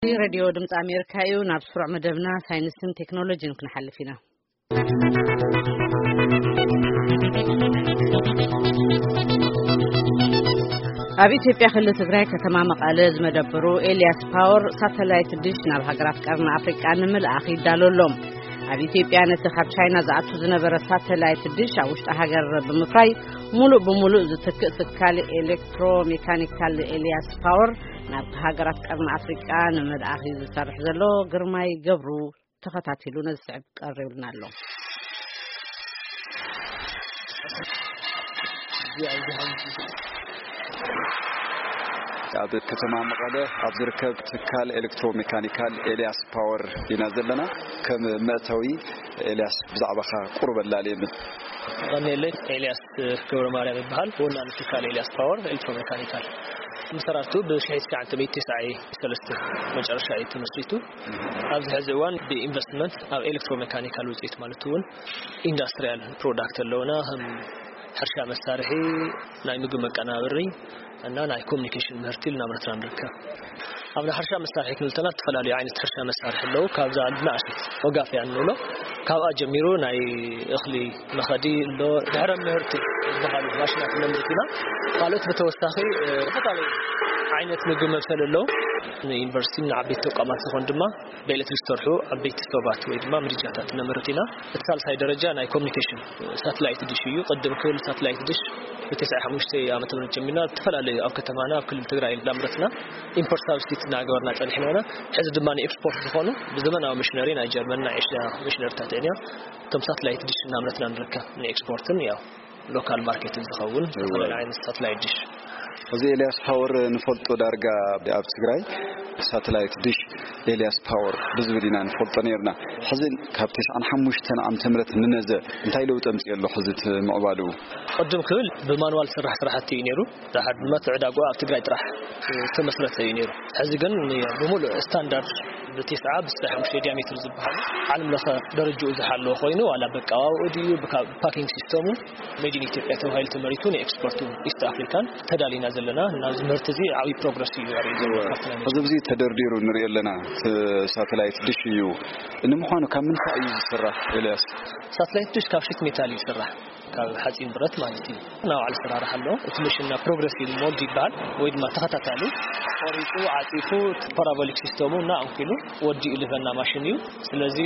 ሬድዮ ድምፂ ኣሜሪካ እዩ። ናብ ስሩዕ መደብና ሳይንስን ቴክኖሎጂን ክንሓልፍ ኢና። ኣብ ኢትዮጵያ ክልል ትግራይ ከተማ መቐለ ዝመደብሩ ኤልያስ ፓወር ሳተላይት ድሽ ናብ ሃገራት ቀርኒ ኣፍሪቃ ንምልኣኽ ይዳሎ ኣሎ። ኣብ ኢትዮጵያ ነቲ ካብ ቻይና ዝኣቱ ዝነበረ ሳተላይት ድሽ ኣብ ውሽጢ ሃገር ብምፍራይ ሙሉእ ብሙሉእ ዝትክእ ትካል ኤሌክትሮ ሜካኒካል ኤልያስ ፓወር ናብ ሃገራት ቀርኒ ኣፍሪቃ ንምልኣኽ እዩ ዝሰርሕ ዘሎ። ግርማይ ገብሩ ተኸታቲሉ ነዚ ስዕብ ቀሪብልና ኣሎ። ኣብ ከተማ መቐለ ኣብ ዝርከብ ትካል ኤሌክትሮ ሜካኒካል ኤልያስ ፓወር ኢና ዘለና። ከም መእተዊ ኤልያስ ብዛዕባኻ ቁሩብ ኣላልየኒ። ቀኒለይ፣ ኤልያስ ገብረ ማርያም ይበሃል። ወናኒ ትካል ኤልያስ ፓወር ኤሌክትሮ ሜካኒካል። መሰራርቱ ብ ሽሕቲ ትሽዓተ ሚእቲ ተስዓይ ሰለስተ መጨረሻ እዩ ተመስሪቱ። ኣብዚ ሕዚ እዋን ብኢንቨስትመንት ኣብ ኤሌክትሮ ሜካኒካል ውፅኢት ማለት እውን ኢንዱስትሪያል ፕሮዳክት ኣለውና። ከም ሕርሻ መሳርሒ፣ ናይ ምግቢ መቀናበሪ እና ናይ ኮሚኒኬሽን ምህርቲ እናምረትና ንርከብ። ኣብ ናይ ሕርሻ መሳርሒ ክንብል እንተለና ዝተፈላለዩ ዓይነት ሕርሻ መሳርሒ ኣለዉ። ካብዛ ንኣሽቱ ወጋፍያ እንብሎ፣ ካብኣ ጀሚሩ ናይ እኽሊ መኸዲ ኣሎ፣ ድሕረ ምህርቲ ዝበሃሉ ማሽናት ነምርት ኢና። ካልኦት ብተወሳኺ፣ እ፣ ዝተፈላለዩ ዓይነት ምግቢ መብሰል ኣለዉ። ንዩኒቨርሲቲ ንዓበይቲ ተቋማት ዝኾን ድማ ብኤሌክትሪክ ዝሰርሑ ዓበይቲ ስቶባት ወይ ድማ ምድጃታት ነምርት ኢና። እቲ ሳልሳይ ደረጃ ናይ ኮሚኒኬሽን ሳተላይት ድሽ እዩ። ቅድም ክብል ሳተላይት ድሽ ብተስዓይ ሓሙሽተ ዓመተ ምህረት ጀሚርና ዝተፈላለዩ ኣብ ከተማና ኣብ ክልል ትግራይ እንዳምረትና ኢምፖርት ሳብስቲት እናገበርና ጸኒሕና ኢና። ሕዚ ድማ ንኤክስፖርት ዝኾኑ ብዘመናዊ መሽነሪ ናይ ጀርመን ናይ ኤሽያ መሽነሪታት እየን። እቶም ሳተላይት ድሽ እናምረትና ንርከብ ንኤክስፖርትን ያው ሎካል ማርኬትን ዝኸውን ዝተፈላለዩ ዓይነት ሳተላይት ድሽ። እዚ ኤልያስ ፓወር ንፈልጦ ዳርጋ ኣብ ትግራይ ሳተላይት ድሽ ኤልያስ ፓወር ብዝብል ኢና ንፈልጦ ነይርና። ሕዚ ካብ ተስዓን ሓሙሽተን ዓመተ ምህረት ንነዘ እንታይ ለውጢ ኣምፅኦ ኣሎ? ሕዚ እቲ ምዕባሉ ቅድም ክብል ብማንዋል ስራሕ ስራሕቲ እዩ ነይሩ። ድሓር ድማ እቲ ዕዳጋ ኣብ ትግራይ ጥራሕ ዝተመስረተ እዩ ነይሩ። ሕዚ ግን ብሙሉእ ስታንዳርድ ብቴስዓ ብስተ ሓሙሽተ ዲያሜትር ዝበሃል ዓለም ለኸ ደረጃኡ ዝሓለወ ኮይኑ ዋላ በቃዋኡ ድዩ ብካ-፣ ፓኪንግ ሲስተሙ ሜድ ኢን ኢትዮጵያ ተባሂሉ ተመሪቱ ንኤክስፖርቱ ኢስት ኣፍሪካን ተዳሊና ዘለና። ናብዚ ምህርቲ እዚ ዓብዪ ፕሮግረስ እዩ ዘርኢ ዘሎ ካብቲ ናይ እዚ ብዙ ተደርዲሩ ንሪኦ ኣለና። እቲ ሳተላይት ድሽ እዩ። ንምዃኑ ካብ ምንታይ እዩ ዝስራሕ ኤልያስ? ሳተላይት ድሽ ካብ ሽት ሜታል እዩ ዝስራሕ፣ ካብ ሓፂን ብረት ማለት እዩ። ናይ ባዕሉ ኣሰራርሓ ኣለዎ። እቲ መሽንና ፕሮግረሲቭ ሞድ ይበሃል ወይ ድማ ተኸታታሊ ቆሪፁ ዓፂፉ ፓራቦሊክ ሲስተሙ እና ኣንኪሉ ወዲኡ ልህበና ማሽን እዩ። ስለዚ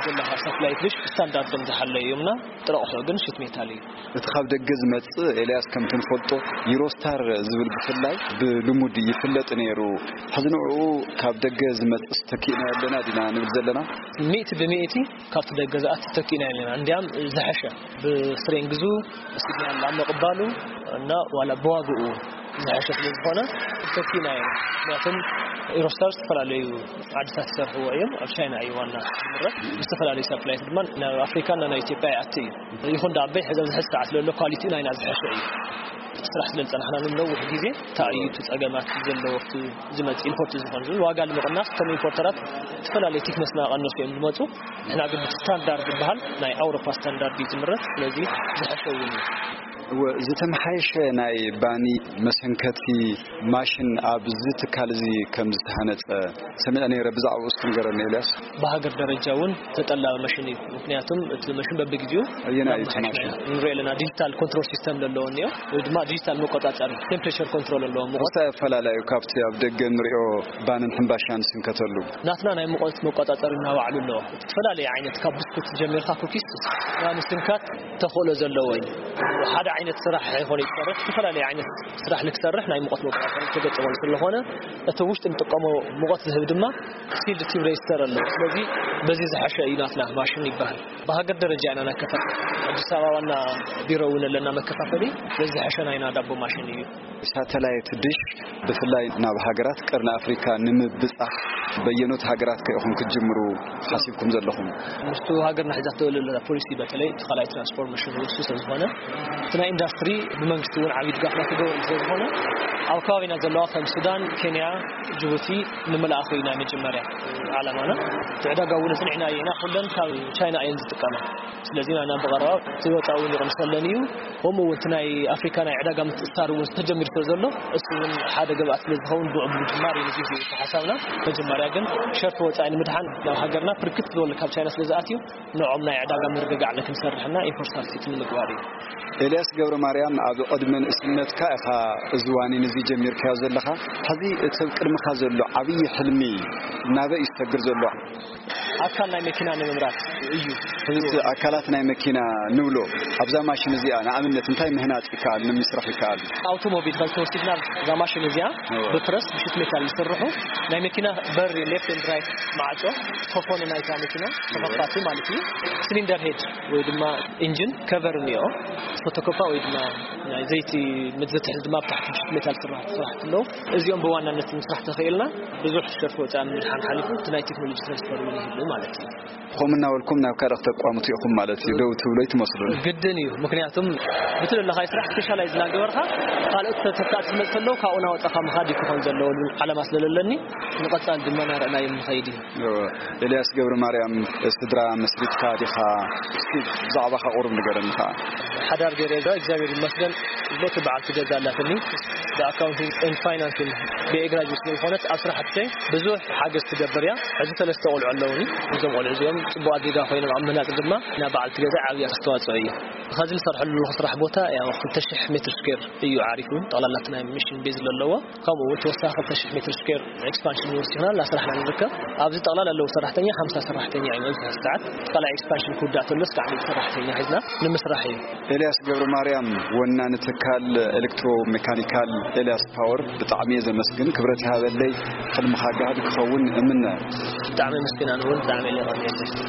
ዘለካ ሳተላይት ድሽ ስታንዳርዶም ዝሓለዩ እዮምና። ጥረቕሑ ግን ሽት ሜታል እዩ። እቲ ካብ ደገ ዝመጽእ ኤልያስ ከምቲ ንፈልጦ ዩሮስታር ዝብል ብፍላይ ብልሙድ ይፍለጥ ነይሩ። ሕዚ ንዕኡ ካብ ደገ ዝመጽእ ተኪእና ኣለና ዲና ንብል ዘለና? ሚእቲ ብሚእቲ ካብቲ ደገ ዝኣቲ ተኪእና ኣለና። እንዲያም ዝሐሸ ብስትሬንግዙ፣ ሲግናል ኣብ ምቕባሉ እና ዋላ ብዋግኡ ዝሐሸ ስለ ዝኾነ ተኪእና እዮም። ምክንያቱም ኤሮስታር ዝተፈላለዩ ዓድታት ይሰርሕዎ እዮም። ኣብ ቻይና እዩ ዋና ዝምረት። ብዝተፈላለዩ ሳተላይት ድማ ናብ ኣፍሪካ እና ናብ ኢትዮጵያ ይኣቲ እዩ። ይኹን ዳኣ በይ ሕዚ ኣብዚ ሕዚ ሰዓት ዘሎ ኳሊቲኡ ናይና ዝሐሸ እዩ። ስራሕ ስለ ዝፀናሕና ንነዊሕ ግዜ እንታይ እዩ እቲ ፀገማት ዘለዎ፣ እቲ ዝመፅእ ኢምፖርት ዝኾን ዝብል ዋጋ ንምቕናስ ከም ኢምፖርተራት ዝተፈላለዩ ቲክነስ እናቐነሱ እዮም ዝመፁ። ንሕና ግን ብቲ ስታንዳርድ ዝበሃል ናይ ኣውሮፓ ስታንዳርድ እዩ ዝምረት። ስለዚ ዝሐሸ እውን እዩ። እወ፣ ዝተመሓየሸ ናይ ባኒ መሰንከቲ ማሽን ኣብዚ ትካል እዚ ከም ዝተሃነፀ ሰሚዐ ነይረ። ብዛዕባኡ እስኪ ንገረኒ ኤልያስ። ብሃገር ደረጃ እውን ተጠላቢ ማሽን እዩ። ምክንያቱም እቲ ማሽን በብግዜኡ ኣየናይ እዩ እቲ እናመሓየሽና ማሽን? ንሪኦ ኣለና። ዲጂታል ኮንትሮል ሲስተም ዘለዎ እኒኦ፣ ወይ ድማ ዲጂታል መቆፃፀሪ ቴምፕሬቸር ኮንትሮል ኣለዎ። ሙቐት ምስታይ ኣፈላላዩ ካብቲ ኣብ ደገ ንሪኦ ባንን ሕምባሻን ስንከተሉ? ናትና ናይ ሙቐት መቆፃፀሪ እናባዕሉ ኣለዎ። ዝተፈላለየ ዓይነት ካብ ብስኩት ጀሚርካ ኩኪስ ናብ ምስንካት ተኽእሎ ዘለዎ እዩ። ሓደ ዓይነት ስራሕ ኣይኮነ ይሰርሕ፣ ዝተፈላለየ ዓይነት ስራሕ ንክሰርሕ ናይ ሙቐት መቆፃፀሪ ተገጠመሉ ስለኾነ እቲ ውሽጢ ንጥቀሞ ሙቐት ዝህብ ድማ ሲልድ ቲብ ሬጅስተር ኣሎ። ስለዚ በዚ ዝሐሸ እዩ ናትና ማሽን ይበሃል። ብሃገር ደረጃ ኢና ነከፋፍል። ኣዲስ ኣበባ ዋና ቢሮ እውን ኣለና መከፋፈሊ። በዚ ዝሐሸ ናይና ዳቦ ማሽን እዩ። ሳተላይት ድሽ ብፍላይ ናብ ሃገራት ቀርኒ ኣፍሪካ ንምብጻሕ በየኖት ሃገራት ከ ኢኹም ክትጅምሩ ሓሲብኩም ዘለኹም? ምስቱ ሃገርና ሒዛቶ ዘላ ፖሊሲ፣ በተለይ እቲ ካልኣይ ትራንስፎርሜሽን ውሱ ስለ ዝኾነ፣ እቲ ናይ ኢንዱስትሪ ብመንግስቲ እውን ዓብዪ ድጋፍ ናተገበሩ ስለ ዝኾነ፣ ኣብ ከባቢና ዘለዋ ከም ሱዳን፣ ኬንያ፣ ጅቡቲ ንምልኣኽ እዩ ናይ መጀመርያ ዓላማና። እቲ ዕዳጋ እውን ኣጽኒዕና ኢና፣ ኩለን ካብ ቻይና እየን ዝጥቀማ። ስለዚ ንሕና ብቐረባ እቲ ወፃኢ እውን ይቕንሰለን እዩ። ከምኡ እውን እቲ ናይ ኣፍሪካ ናይ ዕዳጋ ምትእስሳር እውን ተጀሚሩ ስለ ዘሎ፣ እሱ እውን ሓደ ግብኣት ስለ ዝኸውን ብኡ ብምጅማር እዩ ነዚ ተሓሳብና። መጀመርያ ግን ሸርፊ ወፃኢ ንምድሓን ናብ ሃገርና ብርክት ዝበሉ ካብ ቻይና ስለ ዝኣትዩ፣ ንዕኦም ናይ ዕዳጋ ምርግጋዕ ክንሰርሕና ኢንፍራስትራክቸር ንምግባር እዩ። ኤልያስ ገብረ ማርያም፣ ኣብ ዕድመ ንእስነትካ ኢኻ እዚ ዋኒን እዚ ጀሚርካዮ ዘለኻ። ሕዚ እቲ ኣብ ቅድምኻ ዘሎ ዓብዪ ሕልሚ ናበይ እዩ ዝሰግር ዘሎ? ኣካል ናይ መኪና ንምምራት እዩ። ሕዚ ኣካላት ናይ መኪና ንብሎ፣ ኣብዛ ማሽን እዚኣ ንኣብነት እንታይ ምህናፅ ይከኣል፣ ንምስራሕ ይከኣል? ኣውቶሞቢል ከም ተወሲድና፣ እዛ ማሽን እዚኣ እወ። ብፕረስ ብሽት ሜታል ዝስርሑ ናይ መኪና በሪ፣ ሌፍት ኤንድ ራይት ማዕጾ፣ ኮፎን ናይታ መኪና ተኸፋቲ ማለት እዩ። ሲሊንደር ሄድ ወይ ድማ ኢንጂን ከቨር እኒኦ፣ ፎቶኮፓ ወይ ድማ ናይ ዘይቲ መትዘትሕዝ ድማ ብታሕቲ ብሽት ሜታል ስራሕ ስራሕ ኣለዉ። እዚኦም ብዋናነት ምስራሕ ተኽኢልና ብዙሕ ሸርፊ ወፃኢ ምድሓን ሓሊፉ እቲ ናይ ቴክኖሎጂ ትራንስፈር እውን ይህሉ ማለት እዩ። ከምኡ እናበልኩም ናብ ካልእ ክተቋምቱ ኢኹም ማለት እዩ። ደው ትብሎ ኣይትመስሉን። ግድን እዩ። ምክንያቱም ብትለለኻይ ስራሕ ስፔሻላይዝ እናገበርካ ካልኦት ተተካእቲ ዝመፅእ ከለዉ ካብኡ እናወፃእካ ምኻድ እዩ ክኾን ዘለዎ ዝብል ዓላማ ስለለለኒ፣ ንቐፃሊ ድማ እናረእናዮም ንኸይድ እዩ። እወ። ኤልያስ ገብረ ማርያም፣ ስድራ መስሪትካ ዲኻ? እስኪ ብዛዕባኻ ቁሩብ ንገረኒ ኸዓ። ሓዳር ገይረ እዛ እግዚኣብሔር ይመስገን። ሎቲ በዓልቲ ገዛ ኣላትኒ። ብኣካውንቲንግ ኤንድ ፋይናንሲንግ ብኤ ግራጁዌት ስለ ዝኾነት ኣብ ስራሕተይ ብዙሕ ሓገዝ ትገብር እያ። ሕዚ ሰለስተ ቆልዑ ኣለውኒ። እዞም ቆልዑ እዚኦም ጽቡቓት ዜጋ ኮይኖም ኣብ ምህናጽ ድማ ናብ በዓልቲ ገዛ ዓብዪ ኣስተዋጽኦ እዩ። ኸዚ ዝሰርሐሉ ዘለኹ ስራሕ ቦታ ያው ክልተ ሽሕ ሜትር ስኩዌር እዩ ዓሪፉ። ጠቕላላ እቲ ናይ ሚሽን ቤዝ ዘለዎ። ከምኡ እውን ተወሳኺ ክልተ ሽሕ ሜትር ስኩዌር ኤክስፓንሽን ንወስድ ይሆናል እናሰራሕና ንርከብ። ኣብዚ ጠቕላላ ኣለዉ ሰራሕተኛ ሓምሳ ሰራሕተኛ እዮም ኣብዚ ሰዓት። እቲ ካልኣይ ኤክስፓንሽን ክውዳእ ተሎ እስካዕ ሚእቲ ሰራሕተኛ ሒዝና ንምስራሕ እዩ። ኤልያስ ገብረ ማርያም፣ ወናኒ ትካል ኤሌክትሮ ሜካኒካል ኤልያስ ፓወር፣ ብጣዕሚ እየ ዘመስግን። ክብረት ይሃበለይ፣ ሕልምኻ ጋህዲ ክኸውን እምነ። ብጣዕሚ ኣመስግን፣ ኣነ እውን ብጣዕሚ እየ የቐንየለይ።